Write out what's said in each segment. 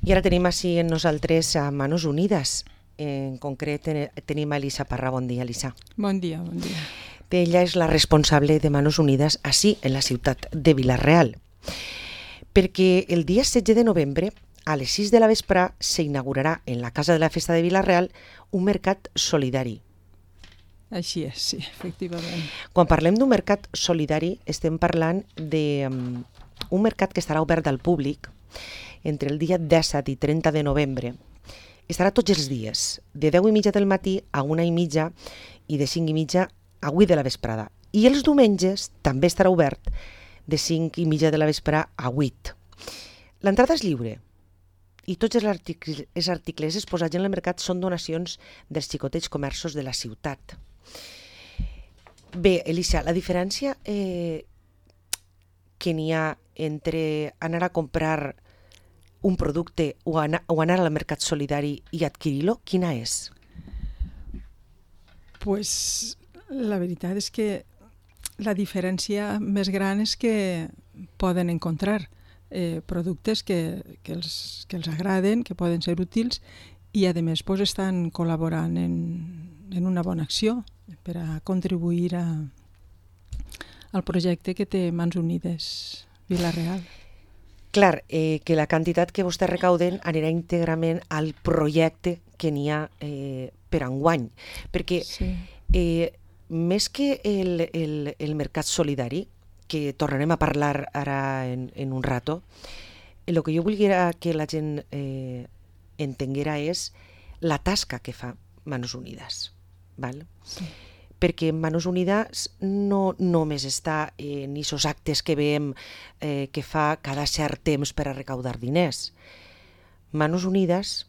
I ara tenim així en nosaltres a Manos Unides. En concret tenim a Elisa Parra. Bon dia, Elisa. Bon dia, bon dia. Ella és la responsable de Manos Unides així, en la ciutat de Vila-real. Perquè el dia 16 de novembre, a les 6 de la vespre, s'inaugurarà en la Casa de la Festa de Vila-real un mercat solidari. Així és, sí, efectivament. Quan parlem d'un mercat solidari, estem parlant d'un mercat que estarà obert al públic entre el dia 17 i 30 de novembre. Estarà tots els dies, de 10:30 del matí a 1:30 i de 5:30 a 8 de la vesprada. I els diumenges també estarà obert de 5:30 de la vesprada a 8. L'entrada és lliure i tots els articles exposats en el mercat són donacions dels xicotets comerços de la ciutat. Bé, Elisa, la diferència que n'hi ha entre anar a comprar un producte o anar al mercat solidari i adquirir-lo, quina és? Pues la veritat és que la diferència més gran és que poden encontrar productes que els agraden, que poden ser útils i a més pues, estan col·laborant en una bona acció per a contribuir al projecte que té Mans Unides Vila-real. Clar, que la quantitat que vostès recauden anirà íntegrament al projecte que n'hi ha per enguany, perquè Sí. Més que el mercat solidari, que tornarem a parlar ara en un rato, el que jo volia que la gent entenguera és la tasca que fa Manos Unides. Val? Sí. Perquè Manos Unides no només està en aquests actes que veiem que fa cada cert temps per a recaudar diners. Manos Unides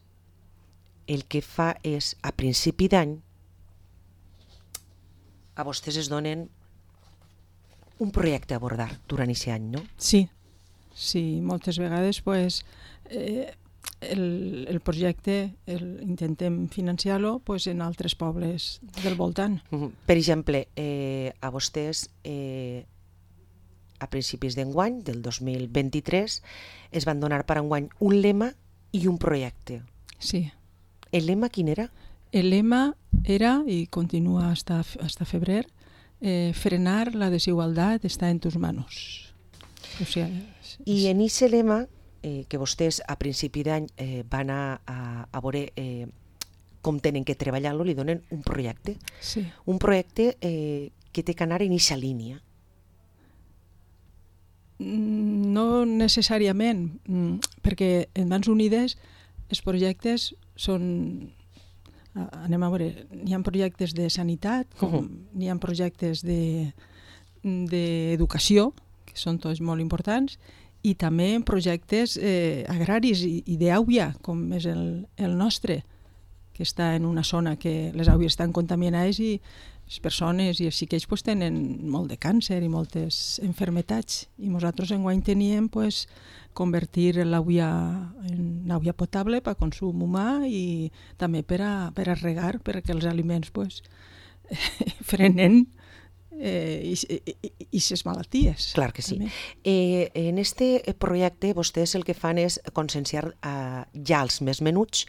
el que fa és, a principi d'any, a vostès es donen un projecte a abordar durant aquest any, no? Sí, moltes vegades pues, el projecte intentem financiar-lo pues, en altres pobles del voltant. Per exemple, a vostès a principis d'enguany, del 2023, es van donar per enguany un lema i un projecte. Sí. El lema quin era? El lema era, i continua hasta febrer, frenar la desigualtat està en tus manos. O sigui, I en aquest lema, que vostès a principi d'any van a veure com tenen que treballar-lo, li donen un projecte. Sí. Un projecte que té que anar en aquesta línia. No necessàriament, perquè en Mans Unides els projectes són... Anem a veure, n'hi ha projectes de sanitat, n'hi ha projectes d'educació, que són tots molt importants, i també projectes agraris i d'àuia, com és el nostre, que està en una zona que les àuies estan contaminades i les persones i els xiquets pues, tenen molt de càncer i moltes enfermetats. I nosaltres enguany teníem pues, convertir l'àvia en àvia potable per a consum humà i també per a regar, perquè els aliments pues, frenen aquestes malalties. Clar que sí. En este projecte vostès el que fan és conscienciar ja els més menuts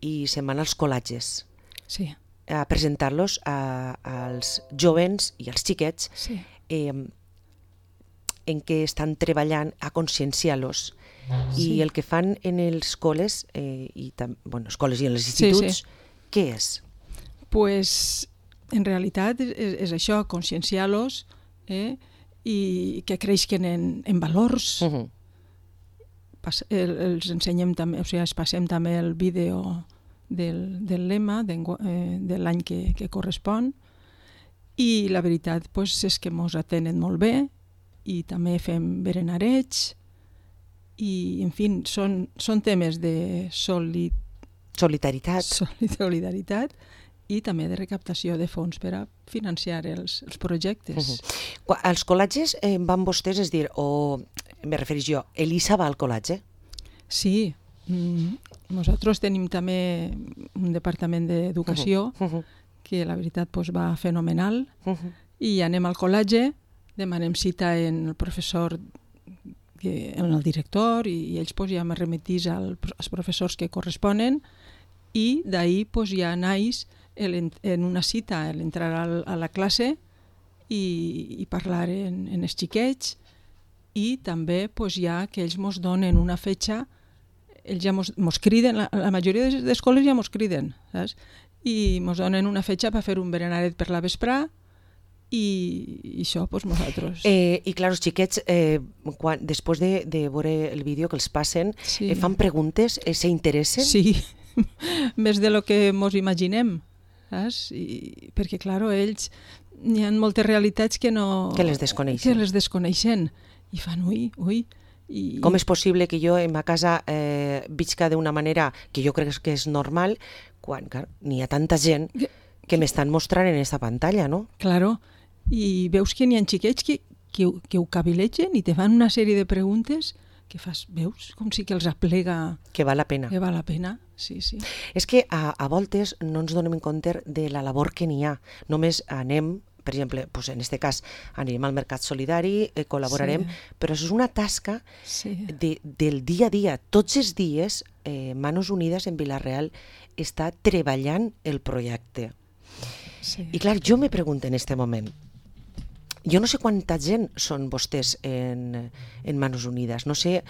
i se'n van als col·latges. Sí. A presentar-los als jovens i als xiquets Sí. en què estan treballant a conscienciar-los. Sí. I el que fan en les escoles, escoles i en els instituts, què és? Pues, en realitat és això, conscienciar-los i que creixen en valors. Els ensenyem també, o sigui, es passem també el vídeo del lema de l'any que correspon i la veritat pues, és que ens atenen molt bé i també fem berenarets i, en fi, són temes de solidaritat i també de recaptació de fons per a financiar els projectes. Als col·latges van vostès, és dir, o me refereix jo, Elisa va al col·latge? Sí, nosaltres tenim també un departament d'educació que la veritat pues, va fenomenal i anem al col·latge, demanem cita en el professor en el director i ells pues, ja me remetís als professors que corresponen i d'ahir pues, ja naix en una cita l'entrar a la classe i parlar en els xiquets i també pues, ja que ells mos donen una fetxa, ells ja mos criden, la majoria d'escoles ja mos criden, saps? I mos donen una fetxa per fer un berenaret per la vesprà i això, doncs nosaltres. I clar, els xiquets, després de veure el vídeo que els passen, Sí. fan preguntes, s'interessen? Sí, més de lo que mos imaginem, saps? Perquè, clar, ells hi ha moltes realitats que no... Que les desconeixen. Que les desconeixen. I fan, ui. Com és possible que jo en ma casa visca d'una manera que jo crec que és normal quan n'hi ha tanta gent que m'estan mostrant en aquesta pantalla, no? Claro, i veus que n'hi ha xiquets que ho cavilegen i te fan una sèrie de preguntes que fas, veus, com si que els aplega... Que val la pena. Que val la pena, sí. És que a voltes no ens donem compte de la labor que n'hi ha. Només anem, per exemple, doncs en aquest cas anirem al Mercat Solidari, col·laborarem, però això és una tasca del dia a dia. Tots els dies, Manos Unides en Vila-real està treballant el projecte. Sí. I clar, jo me pregunto en aquest moment, jo no sé quanta gent són vostès en Manos Unides, no sé,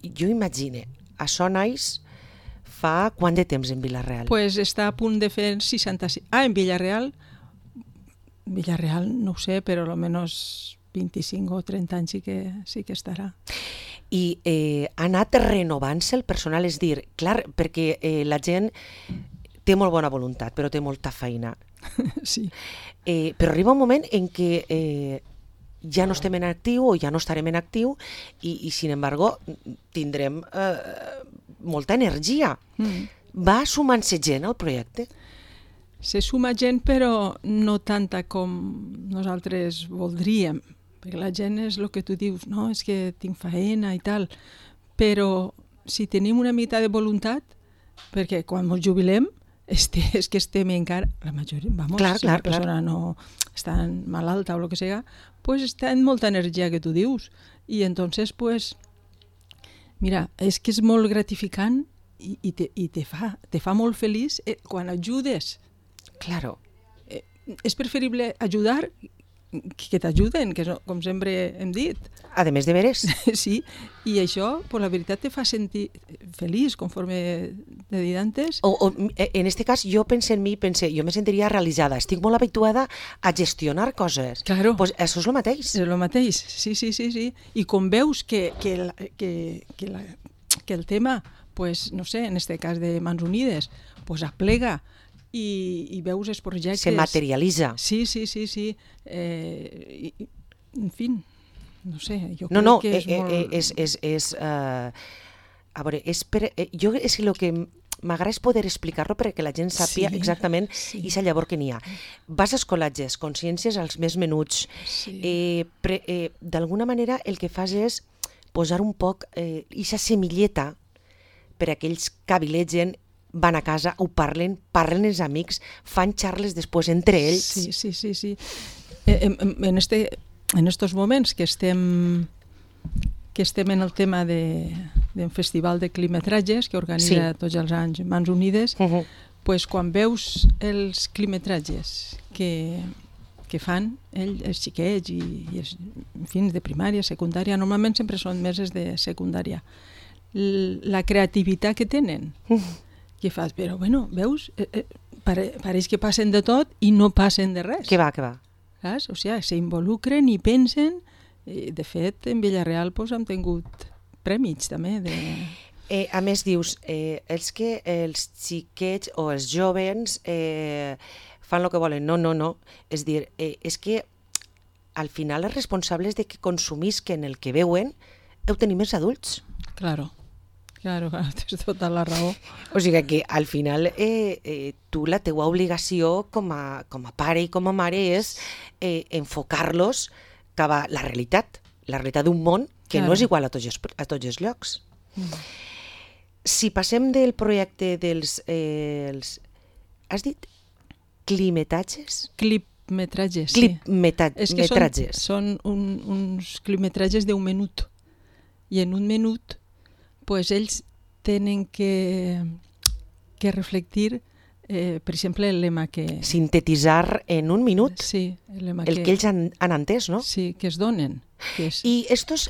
jo imagine, això naix fa quant de temps en Vila-real? Pues està a punt de fer 65... en Vila-real no ho sé, però almenys 25 o 30 anys sí que estarà. I ha anat renovant-se el personal, és dir, clar, perquè la gent té molt bona voluntat, però té molta feina. Sí. Però arriba un moment en què ja no estem en actiu o ja no estarem en actiu i sin embargo, tindrem molta energia. Va sumant-se gent al projecte? Se suma gent, però no tanta com nosaltres voldríem, perquè la gent és el que tu dius, no, és que tinc faena i tal, però si tenim una mica de voluntat, perquè quan ens jubilem és que estem encara, la majoria, si una persona no està malalta o el que sigui, pues està en molta energia que tu dius, i entonces pues mira, és que és molt gratificant i te fa molt feliç quan ajudes. Claro. És preferible ajudar que t'ajuden, que com sempre hem dit. A més de veres. Sí, i això, pues, la veritat, te fa sentir feliç, conforme t'he dit antes. En aquest cas, jo penso en mi, jo me sentiria realitzada. Estic molt habituada a gestionar coses. Claro. Pues això és el mateix. És el mateix, sí. I com veus que el tema, pues, no sé, en este cas de Mans Unides, pues aplega i veus els projectes... Se materialitza. Sí. En fi, no sé, jo crec que és molt... A veure, jo és el que m'agrada poder explicar-lo perquè la gent sàpia exactament aquesta llavor que n'hi ha. Vas a escolatges, consciències als més menuts. D'alguna manera el que fas és posar un poc aquesta semilleta per a aquells que avilegen, van a casa, ho parlen els amics, fan xarles després entre ells. Sí. En estos moments que estem en el tema d'un festival de quilometratges que organitza tots els anys Mans Unides, pues quan veus els quilometratges que fan els xiquets i en fi, de primària, secundària, normalment sempre són meses de secundària, la creativitat que tenen, que fas, però bueno, veus, pareix que passen de tot i no passen de res. Que va. Saps? O sigui, s'involucren i pensen. De fet, en Vila-real hem tingut prèmits també. A més, dius, els xiquets o els jovens fan el que volen. No. És dir, és que al final els responsables de que consumisquen el que veuen ho tenim els adults. Claro, tens tota la raó. O sigui que al final tu la teua obligació com a pare i com a mare és enfocar-los cap a la realitat d'un món que no és igual a tots els llocs. Si passem del projecte dels... has dit climetatges? clipmetratges, sí. És que Clipmetratges. són uns clipmetratges d'un minut. I en un minut pues, ells tenen que reflectir, per exemple, el lema que... Sintetitzar en un minut Sí, el lema el que ells han entès, no? Sí, que es donen. Que és... I estos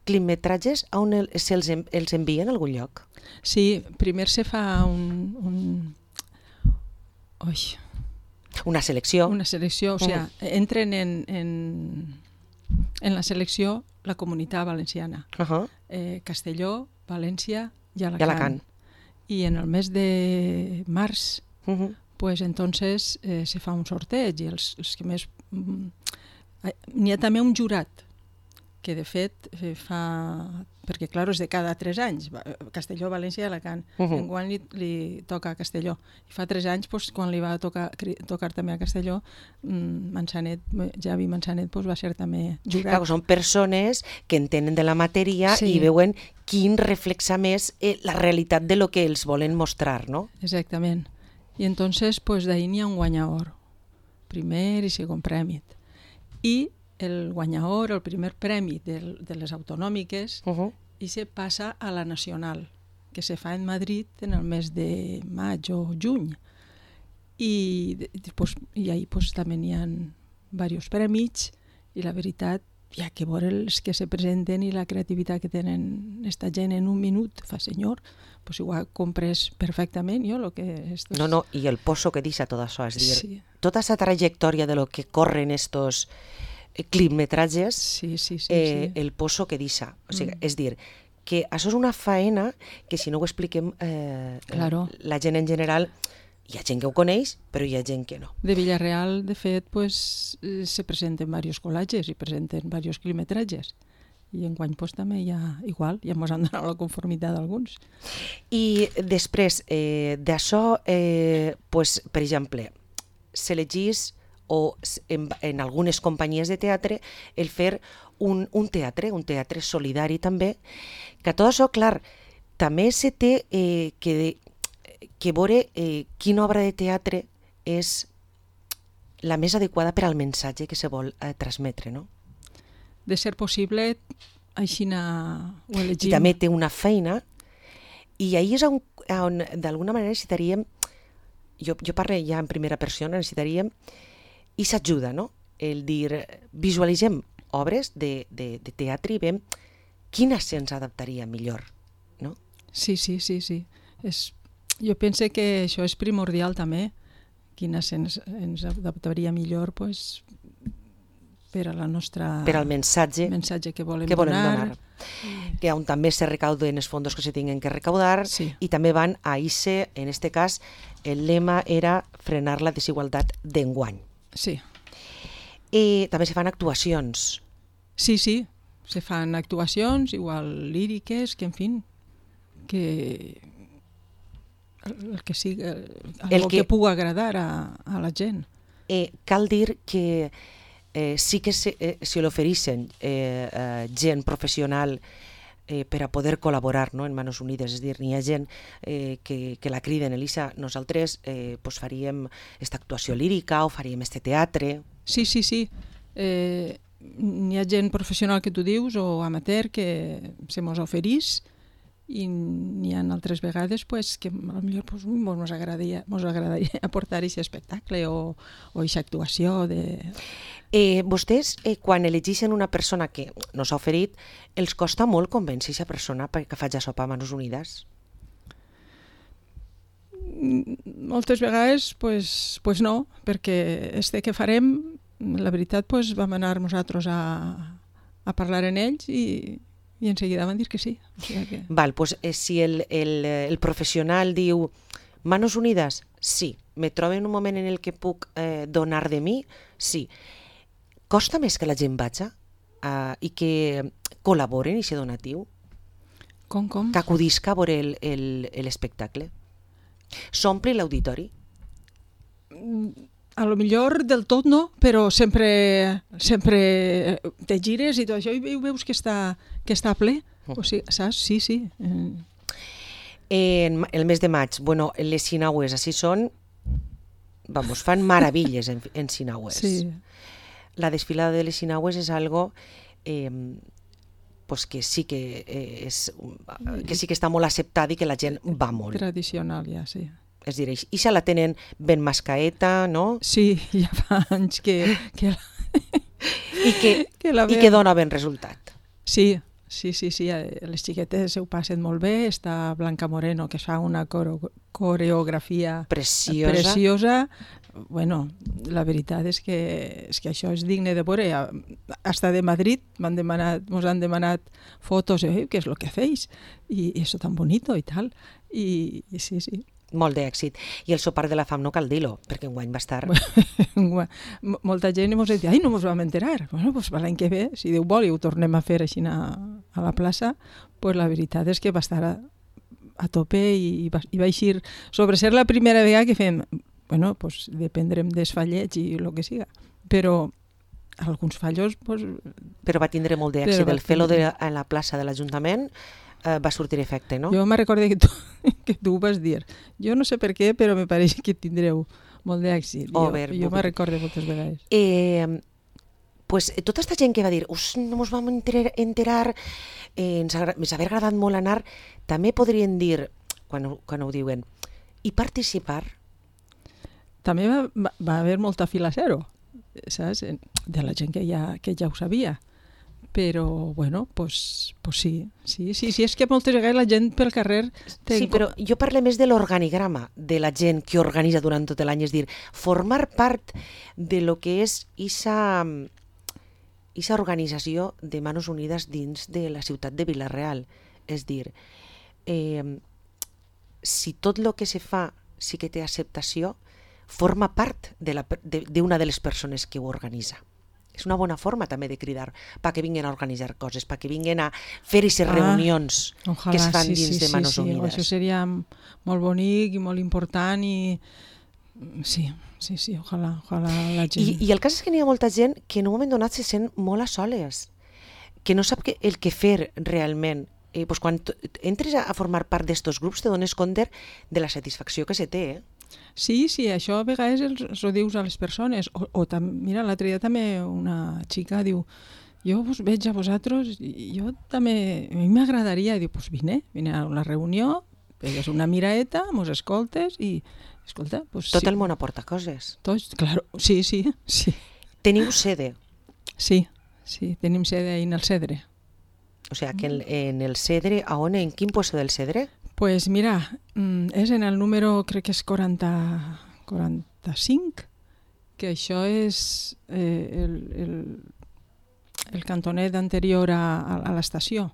clipmetratges, on els envien a algun lloc? Sí, primer se fa Una selecció. una selecció, o sigui, entren en la selecció la Comunitat Valenciana, Castelló, València i Alacant. I en el mes de març, pues entonces se fa un sorteig i els que més... N'hi ha també un jurat, que de fet fa... Perquè, clar, és de cada 3 anys, Castelló, València i Alacant. Enguany li toca a Castelló. I fa 3 anys, pues, quan li va tocar també a Castelló, Javi Manzanet va ser també jurat. Clar, són persones que entenen de la matèria i veuen quin reflexa més la realitat de lo que els volen mostrar, no? Exactament. I entonces, pues, d'ahir n'hi ha un guanyador, primer i segon premi. I el guanyador, el primer premi de les autonòmiques, i se passa a la nacional, que se fa en Madrid en el mes de maig o juny. I ahí pues, també n'hi ha diversos premis, i la veritat, hi ha que veure els que se presenten i la creativitat que tenen esta gent en un minut, fa senyor, pues igual compres perfectament jo lo que... No, i el pozo que deixa tot això, és dir, tota aquesta trajectòria de lo que corren estos clipmetratges, el pozo que deixa. O sigui, és dir, que això és una faena que si no ho expliquem la gent en general, hi ha gent que ho coneix, però hi ha gent que no. De Villarreal, de fet, pues, se presenten diversos col·latges i presenten diversos clipmetratges. I enguany pues, també hi ha igual, ja ens han donat la conformitat d'alguns. I després d'això, pues, per exemple, s'elegís o en algunes companyies de teatre el fer un teatre solidari també, que tot això, clar, també se té que veure quina obra de teatre és la més adequada per al mensatge que se vol transmetre, no? De ser possible, així ho elegim. I també té una feina, i ahir és on d'alguna manera necessitaríem, jo parlo ja en primera persona, necessitaríem i s'ajuda, no? El dir, visualitzem obres de teatre i veiem quina se'ns adaptaria millor, no? Sí. Jo penso que això és primordial també, quina ens adaptaria millor pues, per a la nostra... Per al mensatge que volem donar. Que on també se recauden els fons que se tinguin que recaudar i també van a ICE, en este cas, el lema era frenar la desigualtat d'enguany. Sí. I també se fan actuacions. Sí, se fan actuacions, igual líriques, que en fi, que el que sigui, el que pugui agradar a la gent. Cal dir que sí que se l'ofereixen gent professional per a poder col·laborar, no, en Manos Unides, és dir, n'hi ha gent que la criden, Elisa, nosaltres faríem aquesta actuació lírica o faríem este teatre. Sí. N'hi ha gent professional que tu dius o amateur que se mos oferís i n'hi ha altres vegades que potser mos agradaria aportar aquest espectacle o aquesta actuació. Vostès, quan elegeixen una persona que no s'ha oferit, els costa molt convèncer aquesta persona perquè faci això a Manos Unides? Moltes vegades pues no, perquè este que farem, la veritat, vam anar nosaltres a parlar en ells i en seguida van dir que sí. O sigui que... Val, pues si el professional diu Manos Unides, sí. Me trobo en un moment en el que puc donar de mi, sí. Costa més que la gent vaja i que col·laboren i ser donatiu? Com? Que acudisca a veure l'espectacle? S'omple l'auditori? A lo millor del tot no, però sempre te gires i tot això i veus que està ple. O sigui, saps? Sí. En el mes de maig, les sinaues, així són vamos, fan maravilles en Sinagües. Sí. La desfilada de les Sinagües és algo pues que sí que està molt acceptada i que la gent va molt. Tradicional, ja, sí. És a dir, i se la tenen ben mascaeta, no? Sí, ja fa anys que I que dona ben resultat. Sí, les xiquetes ho passen molt bé, està Blanca Moreno, que fa una coreografia preciosa. Bueno, la veritat és que això és digne de veure. Hasta de Madrid mos han demanat fotos, què és lo que hacéis? I eso tan bonito i tal. I sí. Molt d'èxit. I el sopar de la fam no cal dir-lo, perquè enguany va estar... Molta gent ens ha dit, ai, no ens vam enterar. Bueno, doncs l'any que ve, si Déu vol, i ho tornem a fer així a la plaça, pues la veritat és que va estar a tope i va eixir sobre ser la primera vegada que fem, bueno, pues dependrem dels fallets i el que siga, però alguns fallos... Pues, però va tindre molt d'èxit. El fer-lo a la plaça de l'Ajuntament va sortir efecte, no? Jo me recordo que tu ho vas dir. Jo no sé per què, però me pareix que tindreu molt d'èxit. Jo me recordo moltes vegades. Pues tota aquesta gent que va dir no ens vam enterar, ens havia agradat molt anar, també podrien dir, quan ho diuen, i participar. També va haver molta fila zero, saps? De la gent que ja ho sabia. Però, bueno, pues sí, és que moltes vegades la gent pel carrer... Sí, però jo parlo més de l'organigrama de la gent que organitza durant tot l'any, és dir, formar part de lo que és esa organització de Manos Unides dins de la ciutat de Vila-real. És dir, si tot el que se fa sí que té acceptació, forma part d'una de les persones que ho organitza. És una bona forma també de cridar perquè vinguen a organitzar coses, perquè vinguen a fer aquestes reunions que es fan dins de Manos Unides. Això seria molt bonic i molt important i sí, ojalà la gent... I el cas és que n'hi ha molta gent que en un moment donat se sent molt a soles, que no sap el que fer realment. Pues quan entres a formar part d'estos grups te dones compte de la satisfacció que se té, Sí, això a vegades els ho dius a les persones. Mira, l'altre dia també una xica diu, jo us veig a vosaltres, jo també, a mi m'agradaria, i diu, doncs vine a la reunió, pegues una miraeta, mos escoltes i, escolta... Pues, tot el món aporta coses. Claro, sí. Teniu sede? Sí, tenim sede ahí en el Cedre. O sea, que en el Cedre, en quin puesto del Cedre? Pues mira, és en el número, crec que és 45, que això és el cantonet anterior a l'estació,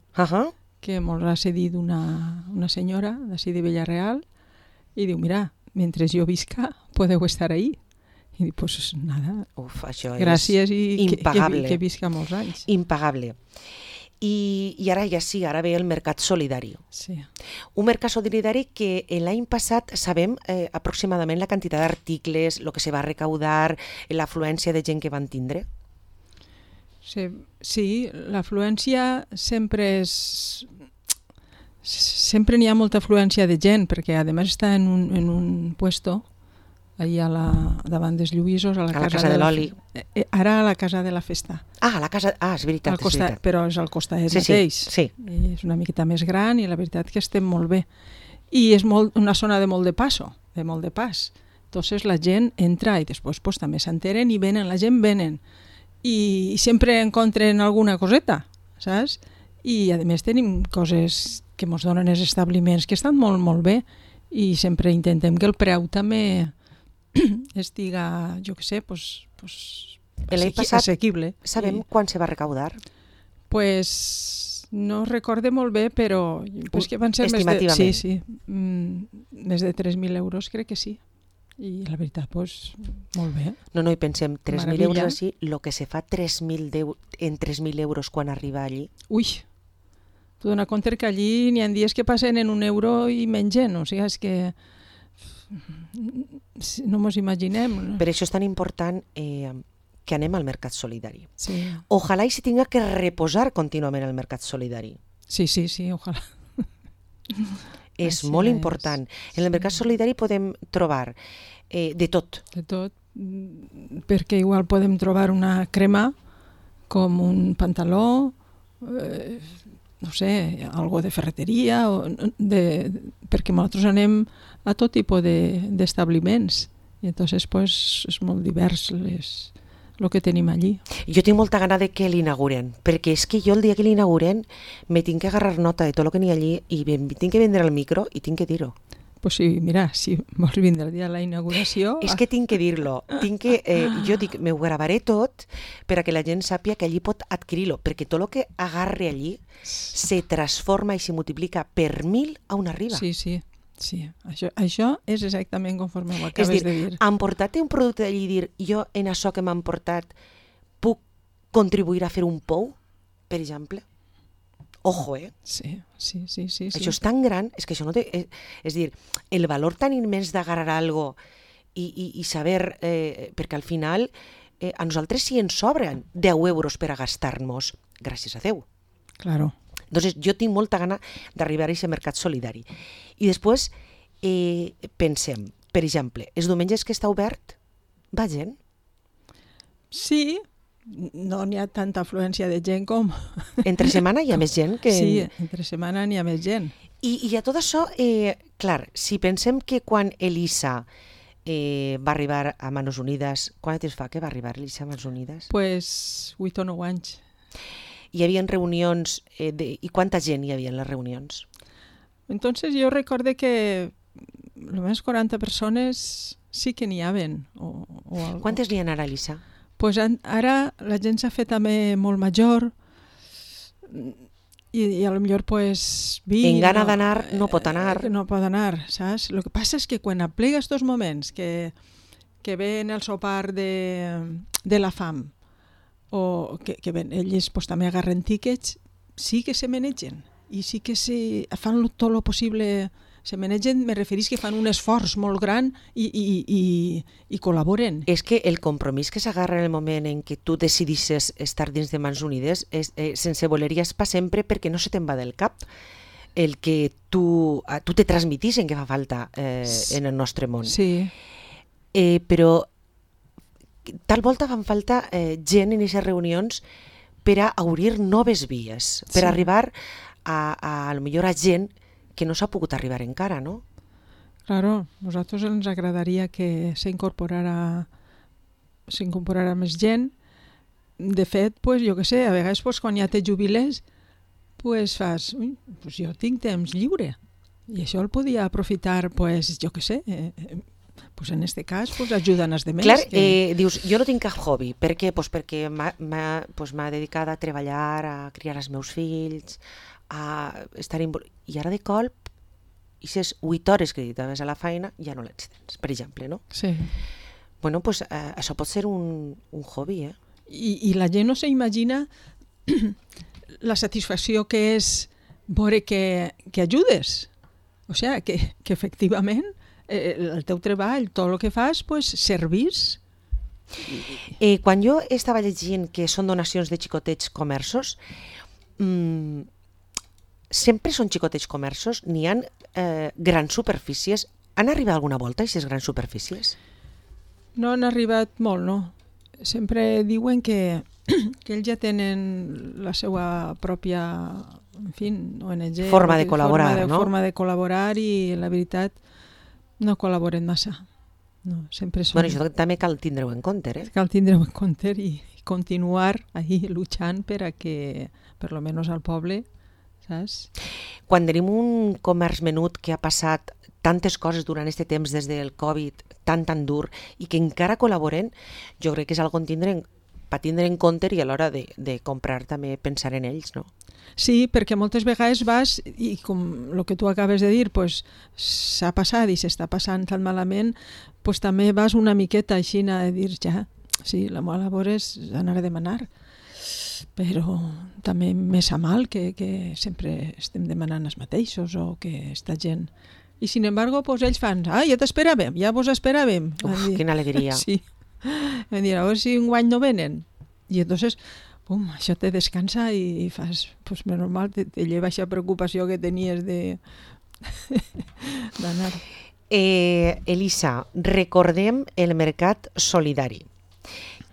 que ens ha cedit una senyora d'ací de Villarreal, i diu, mira, mentre jo visca, podeu estar ahí. I dic, pues nada, gràcies i que visca molts anys. Impagable. I ara ara ve el mercat solidari. Sí. Un mercat solidari que l'any passat sabem aproximadament la quantitat d'articles, el que se va recaudar, l'afluència de gent que van tindre? Sí, l'afluència sempre és... Sempre n'hi ha molta afluència de gent, perquè a més està en un puesto allà davant dels Lluïsos, a la casa de l'Oli. Ara a la casa de la Festa. És veritat, és veritat. Però és al costat mateix. Sí. És una miqueta més gran i la veritat que estem molt bé. I és una zona de molt de pas. Entonces la gent entra i després pues, també s'enteren i venen, la gent venen. I sempre encontren alguna coseta, saps? I a més tenim coses que ens donen els establiments que estan molt, molt bé i sempre intentem que el preu també estiga, jo què sé, assequible. Sabem quan se va recaudar? Pues no recorde molt bé, però que van ser més de 3.000 euros, crec que sí. I la veritat, molt bé. No, i pensem, 3.000 euros així, el que se fa en 3.000 euros quan arriba allí. Ui, tu dona compte que allí n'hi ha dies que passen en €1 i mengen, o sigui, és que no mos imaginem. Per això és tan important que anem al mercat solidari. Sí. Ojalà i se tinga que reposar contínuament el mercat solidari. Sí, ojalà. És Així molt és. important. En el mercat solidari podem trobar de tot. De tot, perquè igual podem trobar una crema com un pantaló, no sé, algo de ferreteria, perquè nosaltres anem a tot tipus d'establiments i entonces pues, és molt divers el que tenim allí. Jo tinc molta gana de que l'inauguren, perquè és que jo el dia que l'inauguren me tinc que agarrar nota de tot el que n'hi ha allí i tinc que vendre el micro i tinc que dir-ho. Pues sí, mira, si vols vindre el dia de la inauguració... És que tinc que dir-lo. Jo dic, m'ho gravaré tot per a que la gent sàpia que allí pot adquirir-lo, perquè tot el que agarre allí se transforma i se multiplica per 1000 a on arriba. Sí, sí. Sí, això és exactament conforme ho acabes de dir. Emportar-te un producte d'allí i dir jo en això que m'han portat puc contribuir a fer un pou, per exemple? Ojo, Sí. Això és tan gran, és que això no té... És dir, el valor tan immens d'agarrar algo i saber... perquè al final a nosaltres sí ens sobren 10 euros per a gastar-nos, gràcies a Déu. Claro. Entonces, jo tinc molta gana d'arribar a aquest mercat solidari. I després pensem, per exemple, els diumenges que està obert, va gent? Sí, no n'hi ha tanta afluència de gent com... Entre setmana hi ha més gent que... Sí, entre setmana n'hi ha més gent. I a tot això, clar, si pensem que quan Elisa va arribar a Manos Unides, quant temps fa que va arribar Elisa a Manos Unides? Pues 8 o 9 anys. Hi havia reunions, i quanta gent hi havia en les reunions? Entonces yo recuerdo que almenys 40 persones sí que n'hi haven. Quantes n'hi ha ara, Elisa? Pues ara la gent s'ha fet també molt major i a lo millor pues... En gana d'anar no pot anar. No pot anar, saps? Lo que passa és que quan aplega estos moments que ven el sopar de la fam o que ven, ells pues, també agarren tíquets, sí que se manegen i sí que fan tot el possible, se manegen, me referís que fan un esforç molt gran i col·laboren. És que el compromís que s'agarra en el moment en què tu decidisses estar dins de Mans Unides sense voler-hi pa sempre perquè no se te'n va del cap el que tu te transmitís que fa falta en el nostre món. Sí. Però tal volta fan falta gent en aquestes reunions per a obrir noves vies, per arribar a lo millor a gent que no s'ha pogut arribar encara, no? Claro, a nosaltres ens agradaria que s'incorporara més gent. De fet, pues, jo què sé, a vegades pues, quan ja te jubiles, pues, fas, pues, jo tinc temps lliure i això el podia aprofitar, pues, jo què sé, pues en este cas pues, ajuden els demés. Clar, dius, jo no tinc cap hobby. Per què? Pues perquè m'ha dedicat a treballar, a criar els meus fills, a estar i ara de colp, i aquestes 8 hores que dedicaves a la feina ja no les tens, per exemple, no? Sí. Bueno, pues això pot ser un hobby, I la gent no s'imagina la satisfacció que és veure que ajudes. O sigui, que efectivament el teu treball, tot el que fas, pues, servís. Quan jo estava llegint que són donacions de xicotets comerços, sempre són xicotets comerços, n'hi ha grans superfícies. Han arribat alguna volta aquestes grans superfícies? No han arribat molt, no. Sempre diuen que ells ja tenen la seva pròpia, en fi, ONG. Forma de col·laborar, no? Forma de col·laborar i, la veritat, no col·laboren massa. No, sempre són... Bueno, això també cal tindre-ho en compte, Cal tindre-ho en compte i continuar ahí luchant per a que, per lo menos al poble, saps? Quan tenim un comerç menut que ha passat tantes coses durant aquest temps des del Covid, tan dur, i que encara col·laboren, jo crec que és algo per tindre en compte i a l'hora de comprar també pensar en ells, no? Sí, perquè moltes vegades vas i com el que tu acabes de dir, pues, s'ha passat i s'està passant tan malament, pues, també vas una miqueta així a dir ja, sí, la meva labor és anar a demanar, però també més a mal que sempre estem demanant els mateixos o que esta gent... I sin embargo, pues, ells fan, ja t'esperàvem, ja vos esperàvem. Uf, quina alegria. Sí. Em dir, a veure si un guany no venen. I entonces, això te descansa i fas, pues, menys mal, te lleva aquesta preocupació que tenies de d'anar. Elisa, recordem el Mercat Solidari,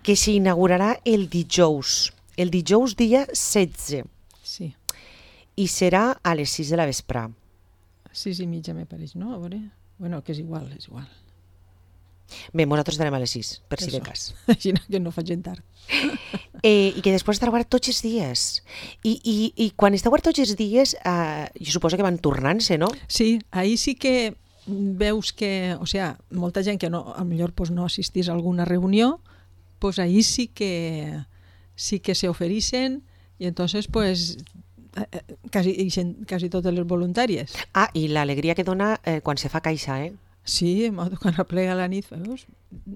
que s'inaugurarà el dijous dia 16, Sí, i serà a les 6 de la vespre. 6:30 me pareix, no? A veure... Bueno, que és igual. Bé, nosaltres estarem a les 6, per si de Això. cas. Així que no facin tard. I que després estarà obert tots els dies. I quan està obert tots els dies, jo suposo que van tornant-se, no? Sí, ahí sí que veus que, o sea, molta gent que no, a millor pues, no assistís a alguna reunió, pues ahí sí que se ofereixen i entonces pues quasi totes les voluntàries. I l'alegria que dona quan se fa caixa, Sí, quan aplega la nit, veus?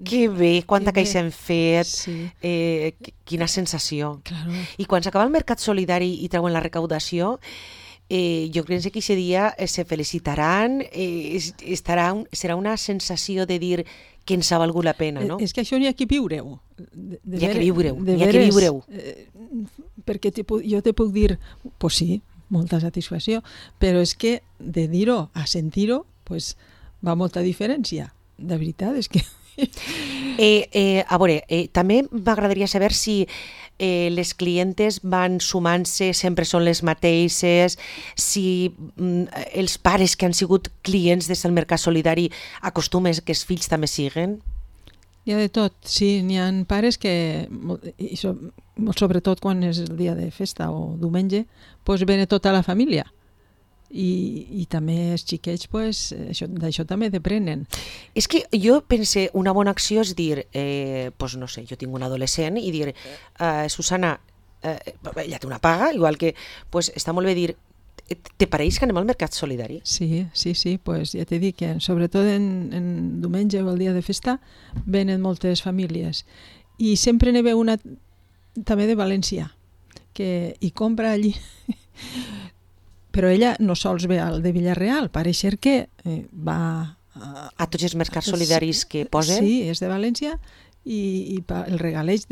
Que bé, quanta Que bé. caixa hem fet, Sí, quina sensació. claro. I quan s'acaba el mercat solidari i treuen la recaudació, jo crec que aquest dia se felicitaran, serà una sensació de dir que ens ha valgut la pena, no? És que això n'hi ha que viure-ho. N'hi ha que viure-ho. Perquè jo te puc dir, pues sí, molta satisfacció, però és que de dir-ho a sentir-ho, pues va molta diferència. De veritat, és que... A veure, també m'agradaria saber si les clientes van sumant-se, sempre són les mateixes, si els pares que han sigut clients des del Mercat Solidari acostumen que els fills també siguen. Hi ha de tot, sí, n'hi ha pares que, sobretot quan és el dia de festa o diumenge, pues ve tota la família. I també els xiquets pues, d'això també deprenen. És que jo pense, una bona acció és dir, pues no sé, jo tinc un adolescent i dir, Susana, ella té una paga, igual que, pues està molt bé dir, te pareix que anem al Mercat Solidari? Sí, pues ja t'he dit que sobretot en diumenge o el dia de festa venen moltes famílies i sempre n'hi ve una també de València que hi compra allí però ella no sols ve al de Villarreal, pareix ser que va a tots els mercats solidaris que posen? Sí, és de València i el regaleix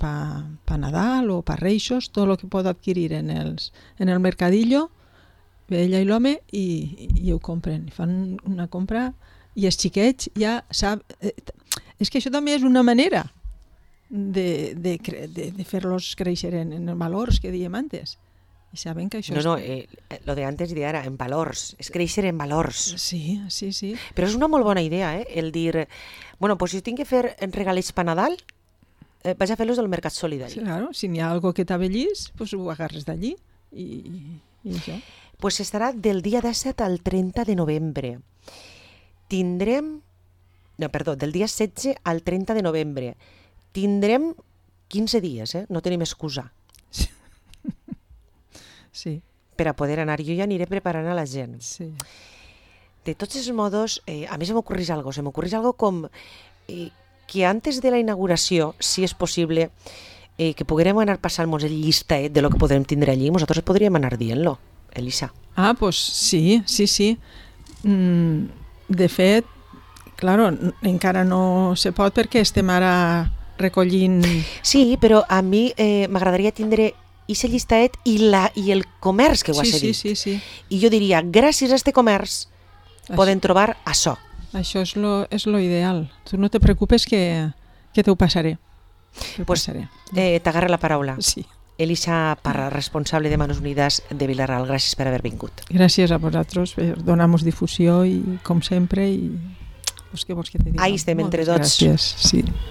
pa Nadal o pa Reixos, tot el que pot adquirir en el mercadillo, ve ella i l'home i ho compren, fan una compra i els xiquets ja sap... És que això també és una manera de fer-los créixer en valors que dèiem antes. I saben que això No, lo de antes i de ara, en valors, és créixer en valors. Sí. Però és una molt bona idea, el dir, bueno, pues si tinc que fer regalets per Nadal, vaig a fer-los del Mercat Solidari. Sí, claro, si n'hi ha algo que t'abellís, pues ho agarres d'allí i això. Pues estarà del dia 17 al 30 de novembre. Del dia 16 al 30 de novembre. Tindrem 15 dies, no tenim excusa. Sí. Per a poder anar. Jo ja aniré preparant a la gent. Sí. De tots els modos, a mi se m'ocorreix algo com que antes de la inauguració, si és possible, que poguérem anar passant-nos el llistet de lo que podrem tindre allí, nosaltres podríem anar dient-lo, Elisa. Ah, pues sí. De fet, claro, encara no se pot perquè estem ara recollint... Sí, però a mi m'agradaria tindre aquest llistat i el comerç que ho ha cedit. Sí. I jo diria, gràcies a aquest comerç poden trobar això. Això és lo ideal. Tu no te preocupes que te ho passaré. T'agarra la paraula. Sí. Elisa Parra, responsable de Manos Unidas de Vilarral, gràcies per haver vingut. Gràcies a vosaltres per donar-nos difusió i com sempre, i què vols que te digui? Ahí estem entre tots. Gràcies, sí.